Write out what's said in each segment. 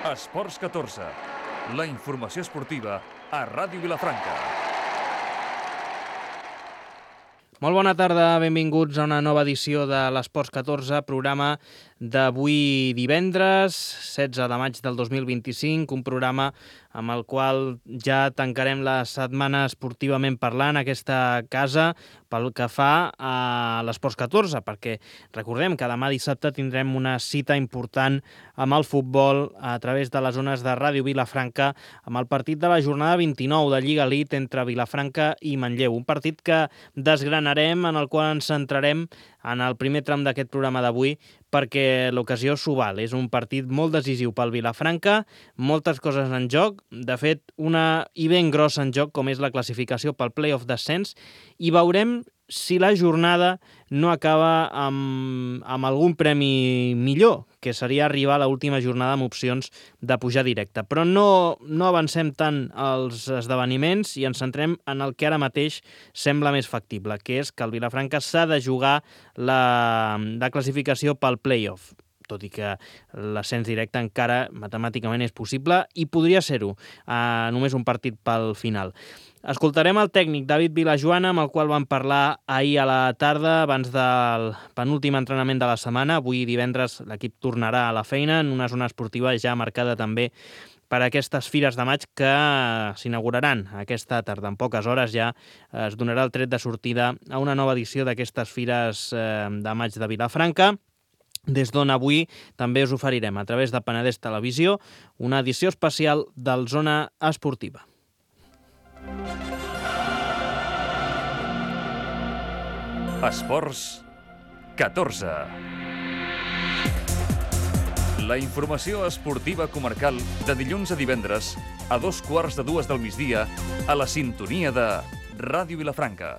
Esports 14, la informació esportiva a Ràdio Vilafranca. Molt bona tarda, benvinguts a una nova edició de l'Esports 14, programa d'avui divendres, 16 de maig del 2025, un programa amb el qual ja tancarem la setmana esportivament parlant a aquesta casa pel que fa a l'Esports 14, perquè recordem que demà dissabte tindrem una cita important amb el futbol a través de les zones de Ràdio Vilafranca amb el partit de la jornada 29 de Lliga Elite entre Vilafranca i Manlleu, un partit que desgranarem, en el qual ens centrarem en el primer tram d'aquest programa d'avui, perquè l'ocasió s'ho val. És un partit molt decisiu pel Vilafranca, moltes coses en joc, de fet, una i ben grossa en joc, com és la classificació pel play-off d'ascens, i veurem si la jornada no acaba amb algun premi millor, que seria arribar a l'última jornada amb opcions de pujar directe. Però no avancem tant els esdeveniments i ens centrem en el que ara mateix sembla més factible, que és que el Vilafranca s'ha de jugar la classificació pel play-off, tot i que l'ascens directe encara matemàticament és possible i podria ser-ho, només un partit pel final. Escoltarem el tècnic David Vilajoana, amb el qual vam parlar ahir a la tarda, abans del penúltim entrenament de la setmana. Avui divendres l'equip tornarà a la feina en una zona esportiva ja marcada també per aquestes fires de maig que s'inauguraran aquesta tarda. En poques hores ja es donarà el tret de sortida a una nova edició d'aquestes fires de maig de Vilafranca, des d'on avui també us oferirem a través de Penedès Televisió una edició especial del Zona Esportiva. Esports 14. La informació esportiva comarcal de dilluns a divendres a 2:15 del migdia a la sintonia de Ràdio Vilafranca.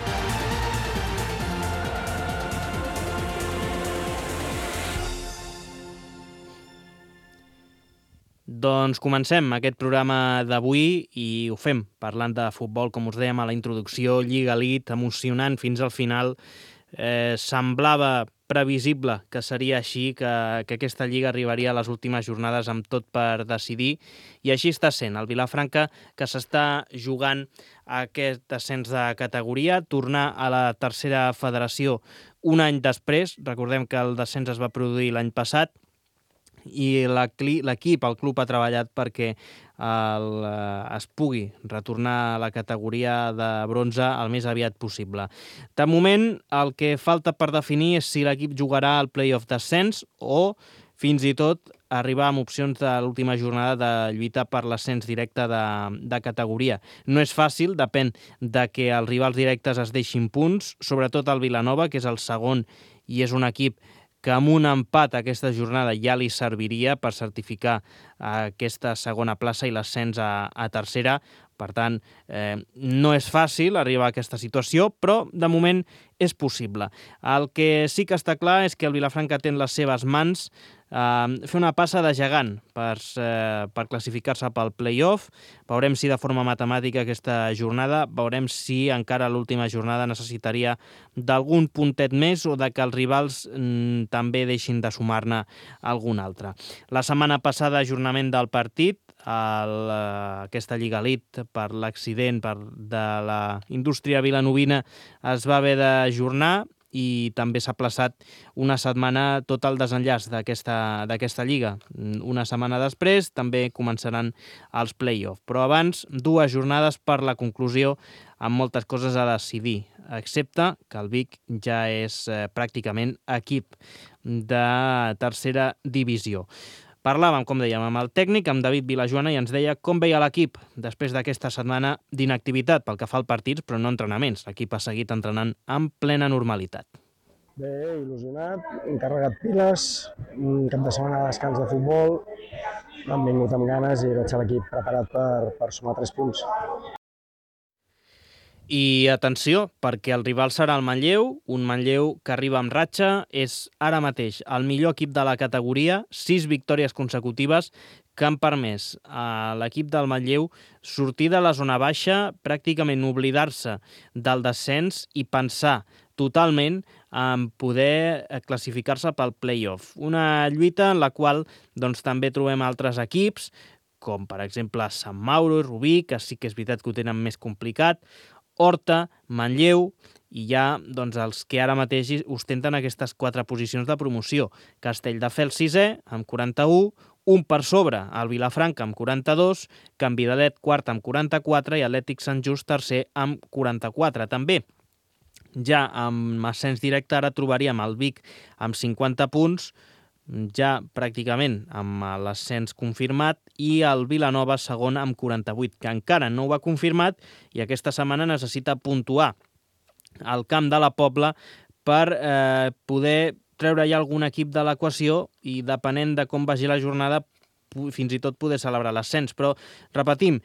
Doncs comencem aquest programa d'avui i ho fem parlant de futbol, com us dèiem a la introducció, Lliga Elite, emocionant fins al final. Semblava previsible que seria així, que aquesta Lliga arribaria a les últimes jornades amb tot per decidir, i així està sent. El Vilafranca, que s'està jugant aquest ascens de categoria, tornar a la tercera federació un any després. Recordem que el descens es va produir l'any passat, i l'equip, el club, ha treballat perquè es pugui retornar a la categoria de bronze el més aviat possible. De moment, el que falta per definir és si l'equip jugarà al play-off d'ascens o, fins i tot, arribar amb opcions de l'última jornada de lluita per l'ascens directe de categoria. No és fàcil, depèn de que els rivals directes es deixin punts, sobretot el Vilanova, que és el segon i és un equip que amb un empat aquesta jornada ja li serviria per certificar aquesta segona plaça i l'ascens a tercera. Per tant, no és fàcil arribar a aquesta situació, però de moment és possible. El que sí que està clar és que el Vilafranca té en les seves mans fer una passa de gegant per classificar-se pel play-off. Veurem si de forma matemàtica aquesta jornada, veurem si encara l'última jornada necessitaria d'algun puntet més o de que els rivals també deixin de sumar-ne algun altre. La setmana passada, ajornament del partit, aquesta Lliga Elite, per l'accident de la indústria vilanovina, es va haver d'ajornar i també s'ha aplaçat una setmana tot el desenllaç d'aquesta Lliga. Una setmana després també començaran els play-off, però abans 2 jornades per la conclusió amb moltes coses a decidir, excepte que el Vic ja és pràcticament equip de tercera divisió. Parlàvem, com dèiem, amb el tècnic, amb David Vilajoana, i ens deia com veia l'equip després d'aquesta setmana d'inactivitat pel que fa al partits, però no entrenaments. L'equip ha seguit entrenant en plena normalitat. Bé, il·lusionat, encarregat piles, un cap de setmana de descans de futbol, han vingut amb ganes i veig l'equip preparat per sumar 3 punts. I atenció, perquè el rival serà el Manlleu, un Manlleu que arriba amb ratxa, és ara mateix el millor equip de la categoria, 6 victòries consecutives que han permès a l'equip del Manlleu sortir de la zona baixa, pràcticament oblidar-se del descens i pensar totalment en poder classificar-se pel play-off. Una lluita en la qual doncs, també trobem altres equips, com per exemple Sant Mauro i Rubí, que sí que és veritat que ho tenen més complicat, Horta, Manlleu, i hi ha doncs, els que ara mateix ostenten aquestes 4 posicions de promoció. Castelldefels 6è, amb 41, un per sobre, el Vilafranca amb 42, Can Vidalet quart amb 44 i Atlètic Sant Just tercer amb 44. També ja amb ascens directe ara trobaríem el Vic amb 50 punts, ja pràcticament amb l'ascens confirmat, i el Vilanova segon amb 48, que encara no ho ha confirmat i aquesta setmana necessita puntuar al Camp de la Pobla per poder treure ja algun equip de l'equació i, depenent de com vagi la jornada, fins i tot poder celebrar l'ascens. Però, repetim,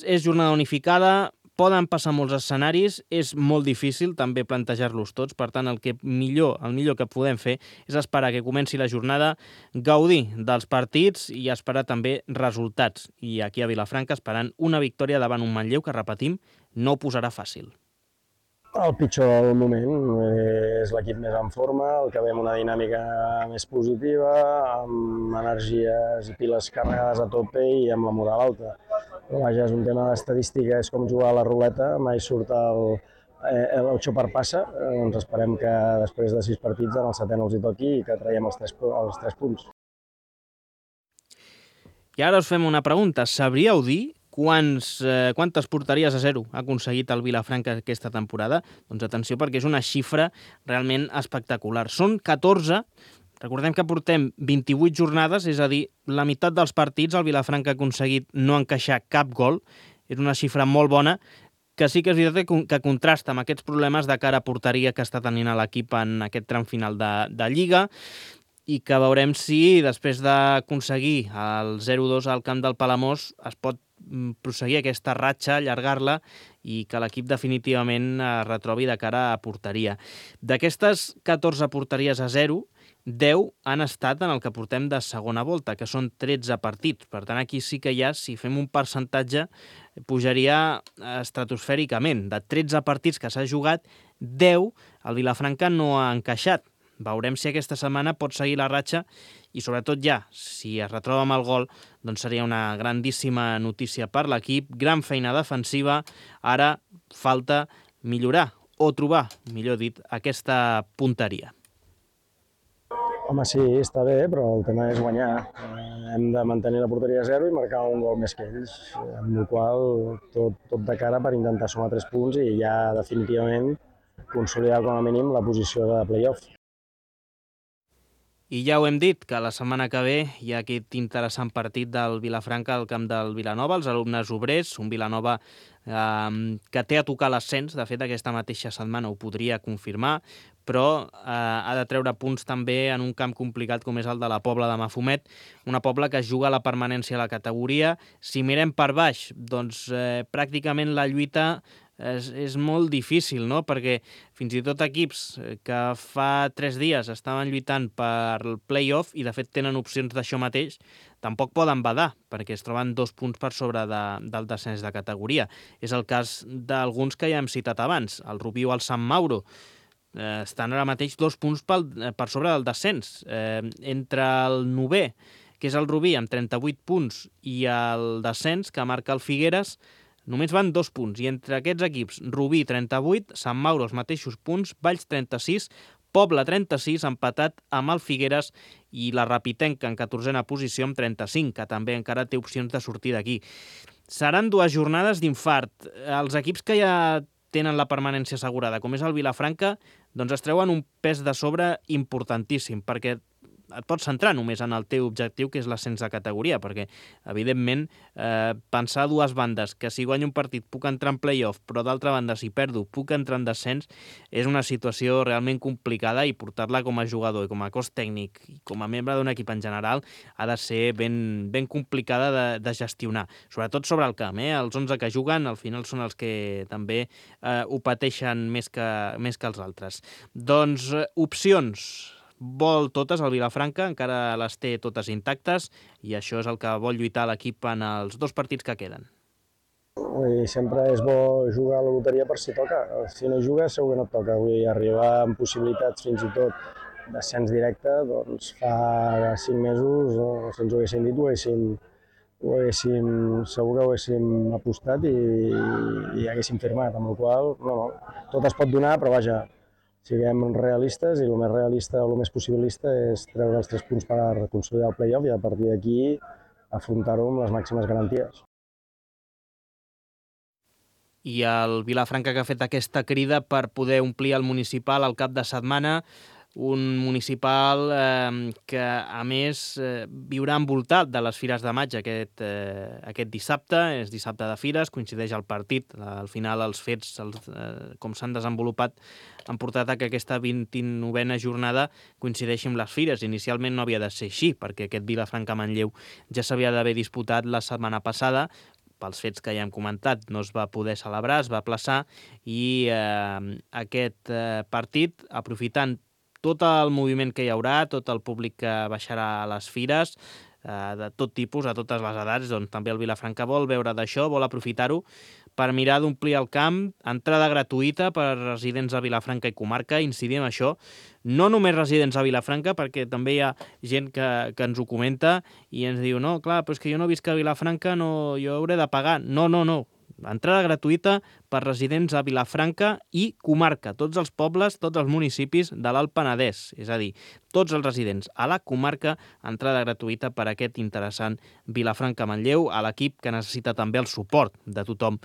és jornada unificada, poden passar molts escenaris, és molt difícil també plantejar-los tots, per tant el millor que podem fer és esperar que comenci la jornada, gaudir dels partits i esperar també resultats. I aquí a Vilafranca esperant una victòria davant un Manlleu que, repetim, no ho posarà fàcil. El pitjor del moment és l'equip més en forma, el que ve amb una dinàmica més positiva, amb energies i piles carregades a tope i amb la moral alta. Però vaja, és un tema d'estadística, és com jugar a la ruleta, mai surt l'8 per passa, doncs esperem que després de 6 partits en el 7è no els hi toqui i que traiem els 3 punts. I ara us fem una pregunta. Sabríeu dir quantes porteries a 0 ha aconseguit el Vilafranca aquesta temporada? Doncs atenció, perquè és una xifra realment espectacular. Són 14. Recordem que portem 28 jornades, és a dir, la meitat dels partits el Vilafranca ha aconseguit no encaixar cap gol. És una xifra molt bona, que sí que és veritat que contrasta amb aquests problemes de cara a porteria que està tenint l'equip en aquest tram final de Lliga, i que veurem si després d'aconseguir el 0-2 al camp del Palamós es pot prosseguir aquesta ratxa, allargar-la i que l'equip definitivament es retrobi de cara a porteria. D'aquestes 14 porteries a 0, 10 han estat en el que portem de segona volta, que són 13 partits. Per tant, aquí sí que ja, si fem un percentatge, pujaria estratosfèricament. De 13 partits que s'ha jugat, 10 el Vilafranca no ha encaixat. Veurem si aquesta setmana pot seguir la ratxa i, sobretot ja, si es retroba amb el gol, doncs seria una grandíssima notícia per l'equip. Gran feina defensiva. Ara falta millorar o trobar, millor dit, aquesta punteria. Home, sí, està bé, però el tema és guanyar. Hem de mantenir la porteria a 0 i marcar un gol més que ells, amb la qual tot de cara per intentar sumar 3 punts i ja definitivament consolidar com a mínim la posició de play-off. I ja ho hem dit, que la setmana que ve hi ha aquest interessant partit del Vilafranca al camp del Vilanova, els alumnes obrers, un Vilanova que té a tocar l'ascens. De fet, aquesta mateixa setmana ho podria confirmar, però ha de treure punts també en un camp complicat com és el de la Pobla de Mafumet, una Pobla que juga a la permanència a la categoria. Si mirem per baix, doncs pràcticament la lluita és molt difícil, no? Perquè fins i tot equips que fa 3 dies estaven lluitant per el play-off i de fet tenen opcions d'això mateix, tampoc poden badar, perquè es troben 2 punts per sobre del descens de categoria. És el cas d'alguns que ja hem citat abans, el Rubí o el Sant Mauro. Estan ara mateix 2 punts per sobre del descens. Entre el 9è, que és el Rubí, amb 38 punts, i el descens, que marca el Figueres, només van 2 punts, i entre aquests equips, Rubí 38, Sant Mauro els mateixos punts, Valls 36, Pobla 36, empatat amb el Figueres, i la Rapitenca en 14a posició amb 35, que també encara té opcions de sortir d'aquí. Seran 2 jornades d'infart. Els equips que ja tenen la permanència assegurada, com és el Vilafranca, doncs es treuen un pes de sobre importantíssim, perquè et pots centrar només en el teu objectiu, que és l'ascens de categoria, perquè, evidentment, pensar a 2 bandes, que si guanyo un partit puc entrar en play-off, però d'altra banda, si perdo, puc entrar en descens, és una situació realment complicada, i portar-la com a jugador i com a cos tècnic i com a membre d'un equip en general ha de ser ben complicada de gestionar, sobretot sobre el camp. Els 11 que juguen al final són els que també ho pateixen més que els altres. Doncs opcions vol totes el Vilafranca, encara les té totes intactes, i això és el que vol lluitar l'equip en els 2 partits que queden. Sempre és bo jugar a la loteria per si toca. Si no jugues segur que no et toca. Arribar amb possibilitats fins i tot d'ascens directe, doncs fa 5 mesos, si ens ho haguessin dit, segur que ho haguéssim apostat i haguéssim firmat, amb la qual cosa, tot es pot donar, però vaja, siguem realistes i el més realista o el més possibilista és treure els 3 punts per consolidar el play-off i a partir d'aquí afrontar-ho amb les màximes garanties. I el Vilafranca, que ha fet aquesta crida per poder omplir el municipal al cap de setmana, un municipal que, a més, viurà envoltat de les Fires de Maig aquest dissabte. És dissabte de Fires, coincideix el partit. Al final, els fets, com s'han desenvolupat, han portat a que aquesta 29a jornada coincideixi amb les Fires. Inicialment no havia de ser així, perquè aquest Vilafranca-Manlleu ja s'havia d'haver disputat la setmana passada. Pels fets que ja hem comentat, no es va poder celebrar, es va aplaçar, i aquest partit, aprofitant tot el moviment que hi haurà, tot el públic que baixarà a les fires, de tot tipus, a totes les edats, doncs també el Vilafranca vol veure d'això, vol aprofitar-ho per mirar d'omplir el camp, entrada gratuïta per residents de Vilafranca i comarca, incidim en això, no només residents a Vilafranca, perquè també hi ha gent que ens ho comenta i ens diu, no, clar, però és que jo no visc a Vilafranca, no, jo hauré de pagar. No. Entrada gratuïta per residents a Vilafranca i comarca, tots els pobles, tots els municipis de l'Alt Penedès, és a dir, tots els residents a la comarca, entrada gratuïta per aquest interessant Vilafranca-Manlleu, a l'equip que necessita també el suport de tothom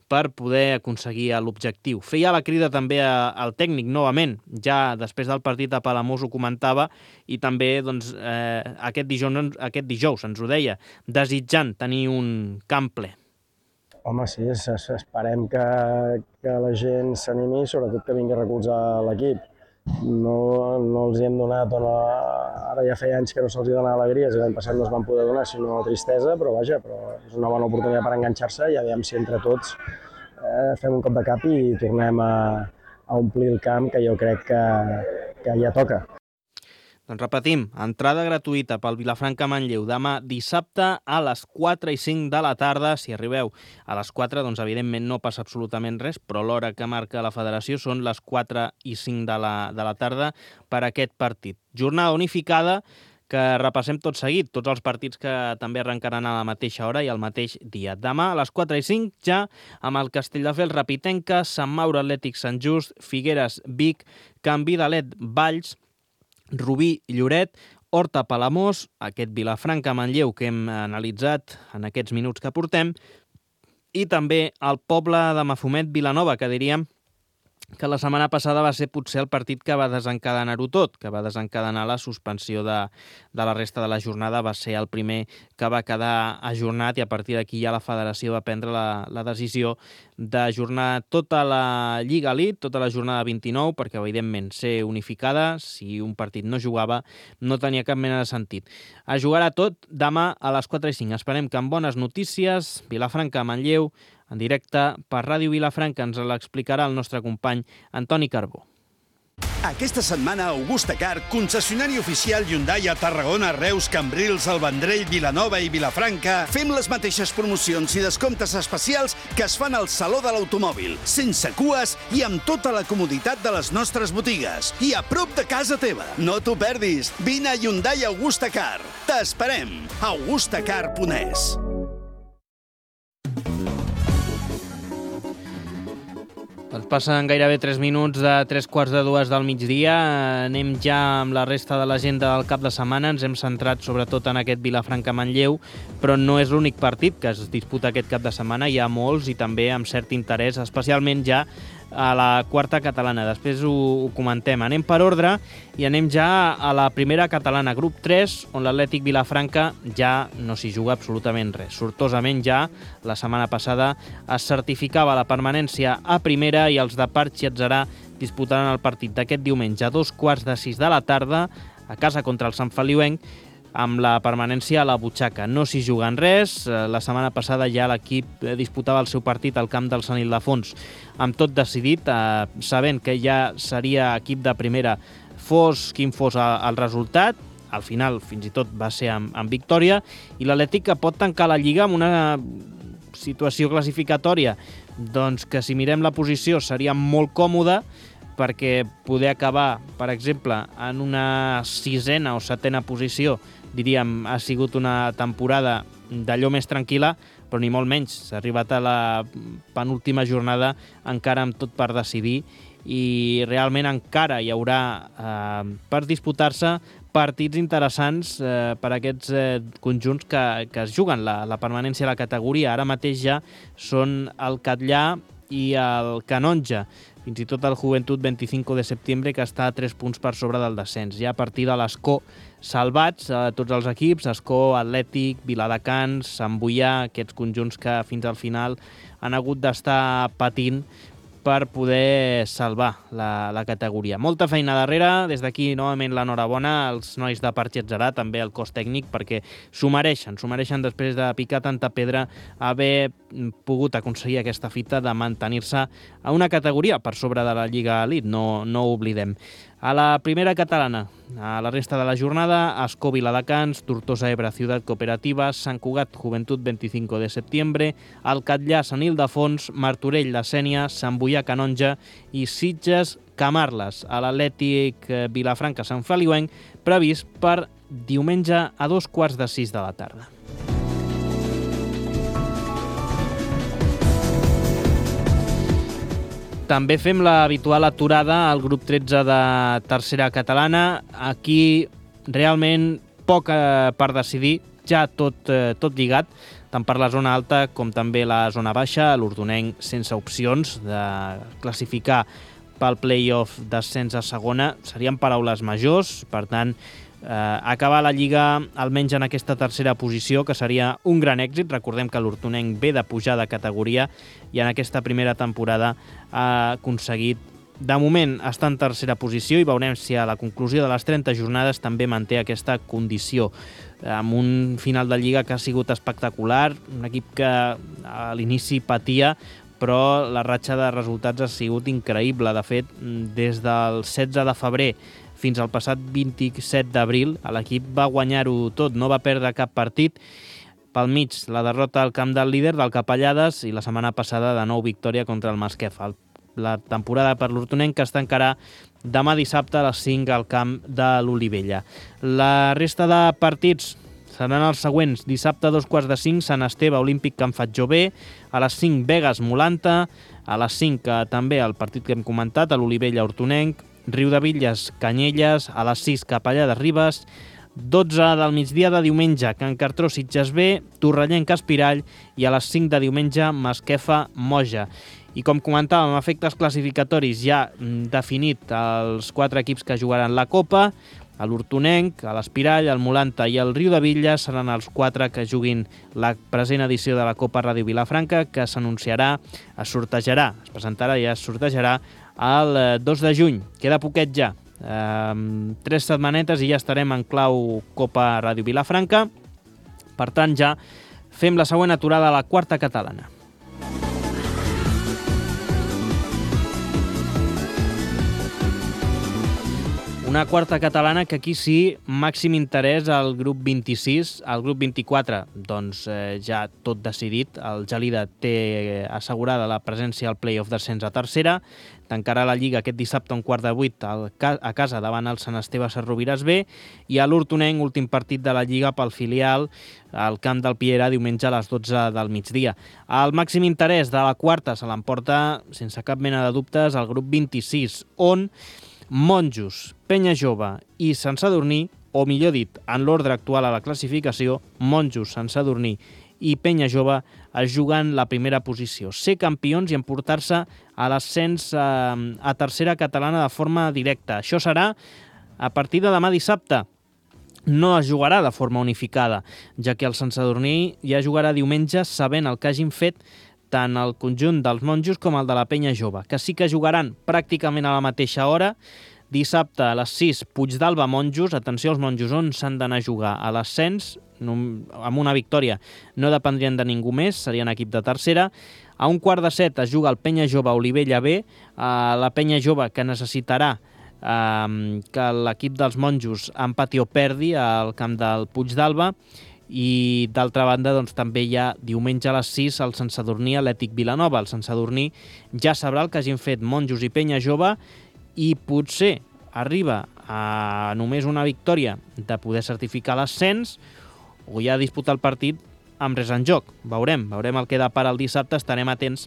per poder aconseguir l'objectiu. Feia la crida també al tècnic, novament, ja després del partit a Palamós ho comentava, i també doncs, aquest dijous ens ho deia, desitjant tenir un camp ple. Home, sí, esperem que la gent s'animi i sobretot que vingui a recolzar l'equip. No els hi hem donat, ara ja feia anys que no se'ls hi donava alegries, l'any passat no es van poder donar, sinó tristesa, però vaja, és una bona oportunitat per enganxar-se i aviam si entre tots fem un cop de cap i tornem a omplir el camp, que jo crec que ja toca. Doncs repetim, entrada gratuïta pel Vilafranca-Manlleu demà dissabte a les 4 i 5 de la tarda. Si arribeu a les 4, doncs evidentment no passa absolutament res, però l'hora que marca la federació són les 4 i 5 de la tarda per aquest partit. Jornada unificada que repassem tot seguit, tots els partits que també arrencaran a la mateixa hora i al mateix dia. Demà a les 4 i 5 ja amb el Castelldefels Rapitenca, Sant Mauro Atlètic Sant Just, Figueres Vic, Can Vidalet Valls, Rubí Lloret, Horta Palamós, aquest Vilafranca-Manlleu que hem analitzat en aquests minuts que portem, i també el poble de Mafumet Vilanova, que diríem que la setmana passada va ser potser el partit que va desencadenar-ho tot, que va desencadenar la suspensió de la resta de la jornada, va ser el primer que va quedar ajornat, i a partir d'aquí ja la federació va prendre la decisió d'ajornar tota la Lliga Elite, tota la jornada 29, perquè evidentment ser unificada, si un partit no jugava, no tenia cap mena de sentit. Es jugarà tot demà a les 4 i 5. Esperem que amb bones notícies, Vilafranca-Manlleu, en directe per Ràdio Vilafranca, ens l'explicarà el nostre company Antoni Carbó. Aquesta setmana, Augusta Car, concessionari oficial Hyundai a Tarragona, Reus, Cambrils, El Vendrell, Vilanova i Vilafranca, fem les mateixes promocions i descomptes especials que es fan al Saló de l'Automòbil, sense cues i amb tota la comoditat de les nostres botigues. I a prop de casa teva. No t'ho perdis. Vine a Hyundai Augusta Car. T'esperem. augustacar.es. Doncs passen gairebé 3 minuts de 3:45 del migdia. Anem ja amb la resta de l'agenda del cap de setmana. Ens hem centrat sobretot en aquest Vilafranca-Manlleu, però no és l'únic partit que es disputa aquest cap de setmana. Hi ha molts i també amb cert interès, especialment ja a la quarta catalana. Després ho comentem. Anem per ordre i anem ja a la primera catalana, grup 3, on l'Atlètic Vilafranca ja no s'hi juga absolutament res. Sortosament ja la setmana passada es certificava la permanència a primera i els de Parc i Atzarà disputaran el partit d'aquest diumenge a 2:15 de la tarda a casa contra el Sant Feliuenc, amb la permanència a la butxaca. No s'hi juguen res. La setmana passada ja l'equip disputava el seu partit al camp del Sant Ildefons amb tot decidit, sabent que ja seria equip de primera fos quin fos el resultat. Al final, fins i tot, va ser amb victòria, i l'Atlètic que pot tancar la Lliga amb una situació classificatòria, doncs que si mirem la posició seria molt còmoda, perquè poder acabar, per exemple, en una 6a o 7a posició, diríem, ha sigut una temporada d'allò més tranquil·la, però ni molt menys. S'ha arribat a la penúltima jornada encara amb tot per decidir i realment encara hi haurà per disputar-se partits interessants per a aquests conjunts que es juguen la permanència a la categoria. Ara mateix ja són el Catllà i el Canonja, fins i tot el Joventut 25 de setembre, que està a 3 punts per sobre del descens. Ja a partir de l'Escó salvats, tots els equips, Escó, Atlètic, Viladecans, Sant Boià, aquests conjunts que fins al final han hagut d'estar patint per poder salvar la categoria. Molta feina darrere, des d'aquí novament l'enhorabona als nois de Parc Getserà, també al cos tècnic, perquè s'ho mereixen després de picar tanta pedra, haver pogut aconseguir aquesta fita de mantenir-se a una categoria per sobre de la Lliga Elite, no ho oblidem. A la primera catalana, a la resta de la jornada, Escó, Viladecans, Tortosa, Ebre, Ciutat Cooperativa, Sant Cugat, Joventut 25 de setembre, el Catllà, Sant Ildefons, Martorell, la Sénia, Sant Boià, Canonja i Sitges, Camarles, a l'Atlètic Vilafranca, Sant Feliuenc, previst per diumenge a 5:45 de la tarda. També fem l'habitual aturada al grup 13 de tercera catalana. Aquí realment poc per decidir, ja tot lligat, tant per la zona alta com també la zona baixa. L'Ordonenc sense opcions de classificar pel play-off d'ascens a segona. Serien paraules majors, per tant, acabar la Lliga almenys en aquesta tercera posició, que seria un gran èxit. Recordem que l'Hortonenc ve de pujar de categoria i en aquesta primera temporada ha aconseguit, de moment, estar en tercera posició, i veurem si a la conclusió de les 30 jornades també manté aquesta condició, amb un final de Lliga que ha sigut espectacular, un equip que a l'inici patia, però la ratxa de resultats ha sigut increïble. De fet, des del 16 de febrer fins al passat 27 d'abril, l'equip va guanyar-ho tot, no va perdre cap partit. Pel mig, la derrota al camp del líder, del Capellades, i la setmana passada de nou victòria contra el Masquefa. La temporada per l'Hortonenc que es tancarà demà dissabte a les 5 al camp de l'Olivella. La resta de partits seran els següents. Dissabte a 4:45, Sant Esteve, Olímpic, Can Fatjové. A les 5, Begues, Molanta. A les 5 també el partit que hem comentat, a l'Olivella, Hortonenc. Riudebitlles, Canyelles. A les 6, Capellà de Ribes. 12 del migdia de diumenge, Can Cartró, Sitges B. Torrellenc, Espirall. I a les 5 de diumenge, Masquefa, Moja. I com comentàvem, efectes classificatoris, ja definit els 4 equips que jugaran la Copa. A l'Hortonenc, a l'Espirall, el Molanta i el Riudebitlles seran els 4 que juguin la present edició de la Copa Ràdio Vilafranca, que s'anunciarà, es presentarà i es sortejarà el 2 de juny. Queda poquet ja. 3 setmanetes i ja estarem en clau Copa Ràdio Vilafranca. Per tant, ja fem la següent aturada a la quarta catalana. Una quarta catalana que aquí sí, màxim interès al grup 26, al grup 24, doncs ja tot decidit. El Gelida té assegurada la presència al play-off d'ascens a tercera, tancarà la Lliga aquest dissabte a 7:15 a casa davant el Sant Esteve Sarrovires B, i a l'Hortonenc, últim partit de la Lliga pel filial, al camp del Piera, diumenge a les 12 del migdia. El màxim interès de la quarta se l'emporta, sense cap mena de dubtes, el grup 26, on Monjos, Penya Jove i Sant Sadurní, o millor dit, en l'ordre actual a la classificació, Monjos, Sant Sadurní i Penya Jove es juguen la primera posició, ser campions i emportar-se a l'ascens a tercera catalana de forma directa. Això serà a partir de demà dissabte. No es jugarà de forma unificada, ja que el Sant Sadurní ja jugarà diumenge sabent el que hagin fet tant el conjunt dels Monjos com el de la Penya Jove, que sí que jugaran pràcticament a la mateixa hora. Dissabte a les 6, Puigdàlber, Monjos. Atenció als Monjos, on s'han d'anar a jugar a l'ascens. Amb una victòria no dependrien de ningú més, serien equip de tercera. A 6:15 es juga el Penya Jove Olivella B, la Penya Jove que necessitarà que l'equip dels Monjos empati o perdi al camp del Puigdàlber, I d'altra banda, doncs, també hi ha diumenge a les 6 el Sant Sadurní Atlètic Vilanova. El Sant Sadurní ja sabrà el que hagin fet Monjos i Penya Jove i potser arriba a només una victòria de poder certificar l'ascens o ja disputar el partit amb res en joc. Veurem el que depara el dissabte, estarem atents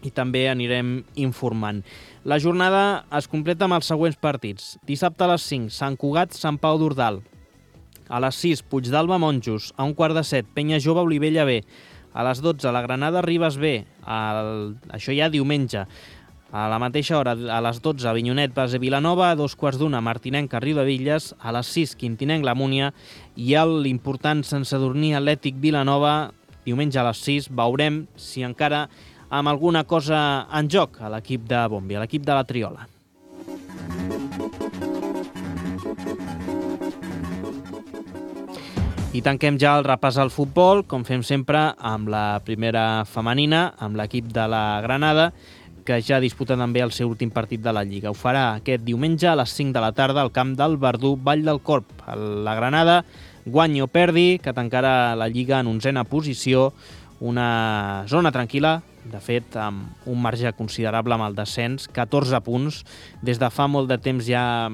i també anirem informant. La jornada es completa amb els següents partits. Dissabte a les 5, Sant Cugat, Sant Pau d'Ordal. A les 6, Puigdàlber Monjos. A 1:15, Penya Jove Olivella B. A les 12, la Granada Ribes B. Això ja diumenge. A la mateixa hora, a les 12, Avinyonet Base Vilanova. A 2:15, Martinenca Riudebitlles. A les 6, Quintinenc La Múnia. I l'important Sant Sadurní Atlètic Vilanova, diumenge a les 6. Veurem si encara amb alguna cosa en joc a l'equip de Bombi, a l'equip de la Triola. I tanquem ja el repàs al futbol, com fem sempre, amb la primera femenina, amb l'equip de la Granada, que ja disputa també el seu últim partit de la Lliga. Ho farà aquest diumenge a les 5 de la tarda al camp del Verdú, Vall del Corp. La Granada, guanyi o perdi, que tancarà la Lliga en 11a posició, una zona tranquil·la, de fet, amb un marge considerable amb el descens, 14 punts, des de fa molt de temps ja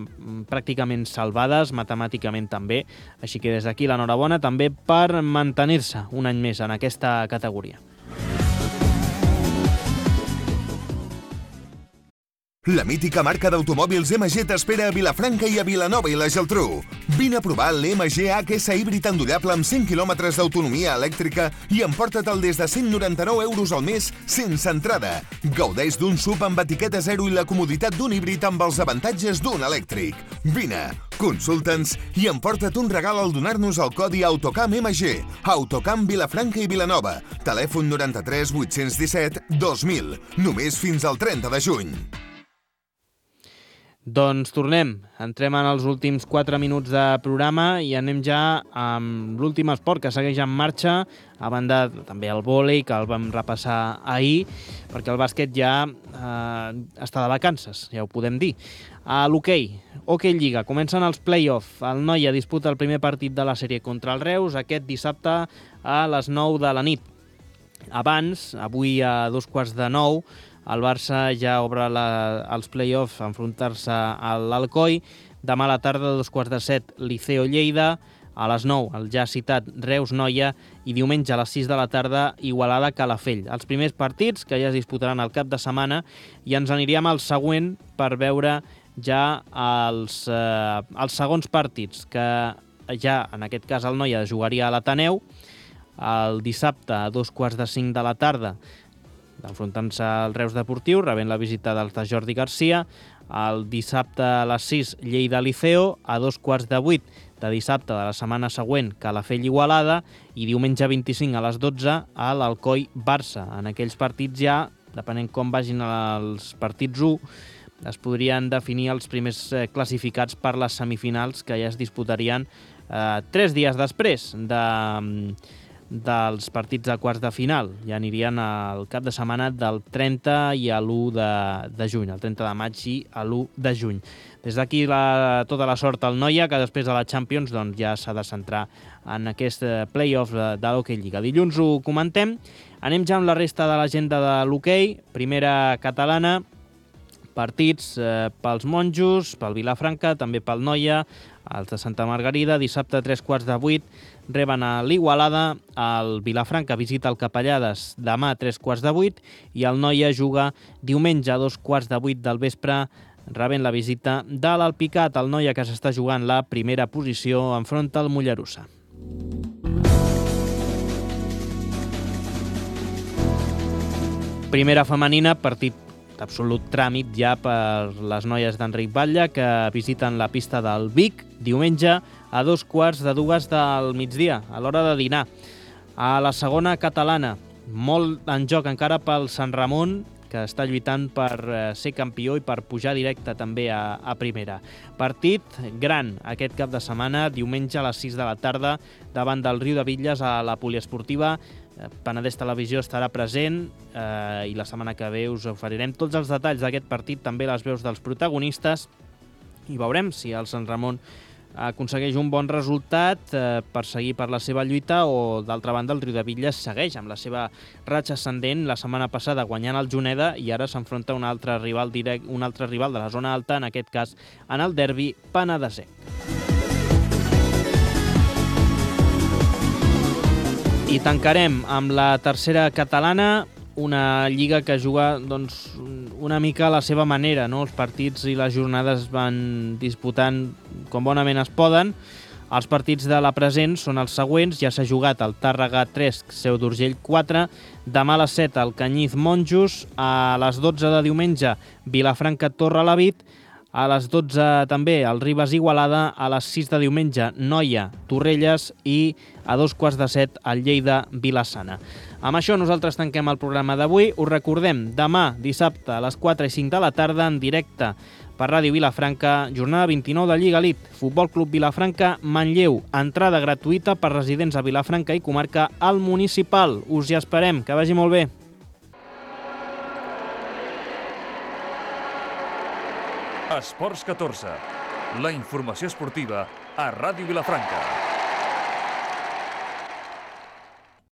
pràcticament salvades, matemàticament també, així que des d'aquí l'enhorabona també per mantenir-se un any més en aquesta categoria. La mítica marca d'automòbils MG t'espera a Vilafranca i a Vilanova i la Geltrú. Vine a provar l'MG HS híbrid endollable amb 100 km d'autonomia elèctrica i emporta-te'l des de 199 € al mes sense entrada. Gaudeix d'un SUV amb etiqueta zero i la comoditat d'un híbrid amb els avantatges d'un elèctric. Vine, consulta'ns i emporta't un regal al donar-nos el codi Autocam MG. Autocam Vilafranca i Vilanova. Telèfon 93 817 2000. Només fins al 30 de juny. Doncs tornem, entrem en els últims 4 minuts de programa i anem ja amb l'últim esport que segueix en marxa, a banda també el vòlei, que el vam repassar ahir, perquè el bàsquet ja està de vacances, ja ho podem dir. A l'hoquei, Hockey Lliga, comencen els play-off. El Noia disputa el primer partit de la sèrie contra el Reus aquest dissabte a les 9 de la nit. Abans, avui a 8:45, el Barça ja obre els play-offs a enfrontar-se a l'Alcoi. Demà a la tarda, a 2:15, Liceo Lleida. A les 9, el ja citat Reus-Noia. I diumenge a les 6 de la tarda, Igualada-Calafell. Els primers partits que ja es disputaran al cap de setmana i ens aniríem al següent per veure ja els segons partits, que ja en aquest cas el Noia jugaria a l'Ateneu el dissabte a 2:45 de la tarda, enfrontant-se al Reus Deportiu, rebent la visita dels de Jordi Garcia. El dissabte a les 6, Lleida-Liceo. A 7:15 de dissabte de la setmana següent, Calafell-Igualada. I diumenge 25 a les 12, a l'Alcoi-Barça. En aquells partits ja, depenent com vagin els partits 1, es podrien definir els primers classificats per les semifinals, que ja es disputarien 3 dies després dels partits de quarts de final. Ja anirien al cap de setmana del 30 i a l'1 de juny, el 30 de maig i a l'1 de juny. Des d'aquí tota la sort al Noia, que després de la Champions doncs, ja s'ha de centrar en aquest play-off de l'Hockey Lliga. Dilluns ho comentem. Anem ja amb la resta de l'agenda de l'hoquei. Primera catalana, partits pels Monjos, pel Vilafranca, també pel Noia, els de Santa Margarida. Dissabte a 7:45 reben a l'Igualada, el Vilafranca visita el Capellades demà a 7:45 i el Noia juga diumenge a 2:15 del vespre, rebent la visita de l'Alpicat. El Noia, que s'està jugant la primera posició, enfronta el Mollerussa. Primera femenina, partit d'absolut tràmit ja per les noies d'Enric Batlle, que visiten la pista del Vic diumenge a 2:15 del migdia, a l'hora de dinar. A la segona catalana, molt en joc encara pel Sant Ramon, que està lluitant per ser campió i per pujar directe també a primera. Partit gran aquest cap de setmana, diumenge a les 6 de la tarda, davant del Riudebitlles a la poliesportiva. Penedès Televisió estarà present i la setmana que ve us oferirem tots els detalls d'aquest partit, també les veus dels protagonistes, i veurem si el Sant Ramon aconsegueix un bon resultat per seguir per la seva lluita, o d'altra banda el Riudebitlles segueix amb la seva ratxa ascendent, la setmana passada guanyant el Juneda, i ara s'enfronta a un altre rival de la zona alta, en aquest cas en el derbi penedesenc. I tancarem amb la tercera catalana, una lliga que juga una mica a la seva manera, no? Els partits i les jornades van disputant com bonament es poden. Els partits de la present són els següents. Ja s'ha jugat el Tàrrega 3, Seu d'Urgell 4, demà a les 7 el Canyís Monjos, a les 12 de diumenge Vilafranca Torrelavit, a les 12 també el Ribes Igualada, a les 6 de diumenge Noia Torrelles i a 6:45 el Lleida Vilassana. Amb això nosaltres tanquem el programa d'avui. Us recordem, demà dissabte a les 4 i 5 de la tarda en directe per Ràdio Vilafranca, jornada 29 de Lliga Elite, Futbol Club Vilafranca, Manlleu, entrada gratuïta per residents a Vilafranca i comarca al Municipal. Us hi esperem, que vagi molt bé. Esports 14, la informació esportiva a Ràdio Vilafranca.